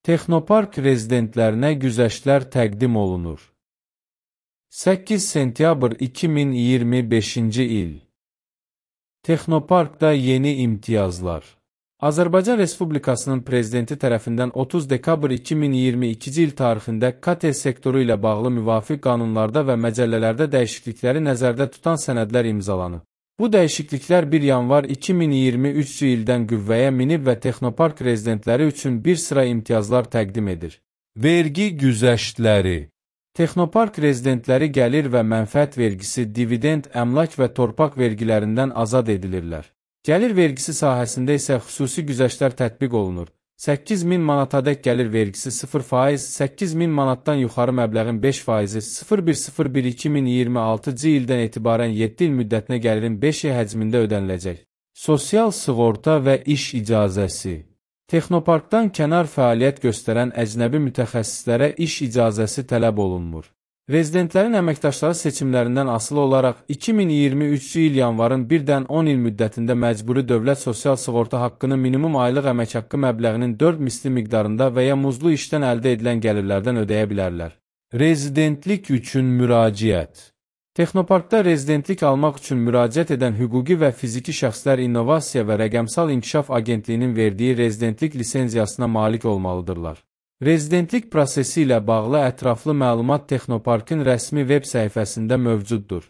Texnopark rezidentlərinə güzəştlər təqdim olunur. 8 sentyabr 2025-ci il. Texnoparkda yeni imtiyazlar. Azərbaycan Respublikasının Prezidenti tərəfindən 30 dekabr 2022-ci il tarixində KT sektoru ilə bağlı müvafiq qanunlarda və məcəllələrdə dəyişiklikləri nəzərdə tutan sənədlər imzalanıb. Bu dəyişikliklər 1 yanvar 2023-cü ildən qüvvəyə minib və Texnopark rezidentləri üçün bir sıra imtiyazlar təqdim edir. Vergi güzəştləri. Texnopark rezidentləri gəlir və mənfəət vergisi, dividend, əmlak və torpaq vergilərindən azad edilirlər. Gəlir vergisi sahəsində isə xüsusi güzəştlər tətbiq olunur. 8.000 manatadək gəlir vergisi 0%, 8.000 manatdan yuxarı məbləğin 5%, 01.01.2026-cı ildən etibarən 7 il müddətinə gəlirin 5 həcmində ödəniləcək. Sosial sığorta və iş icazəsi. Texnoparkdan kənar fəaliyyət göstərən əcnəbi mütəxəssislərə iş icazəsi tələb olunmur. Rezidentlərin əməkdaşları seçimlərindən asılı olaraq 2023-cü il yanvarın 1-dən 10 il müddətində məcburi dövlət sosial sığorta haqqını minimum aylıq əmək haqqı məbləğinin 4 misli miqdarında və ya muzlu işdən əldə edilən gəlirlərdən ödəyə bilərlər. Rezidentlik üçün müraciət. Texnoparkda rezidentlik almaq üçün müraciət edən hüquqi və fiziki şəxslər İnnovasiya və Rəqəmsal İnkişaf Agentliyinin verdiyi rezidentlik lisenziyasına malik olmalıdırlar. Rezidentlik prosesi ilə bağlı ətraflı məlumat Texnoparkın rəsmi veb səhifəsində mövcuddur.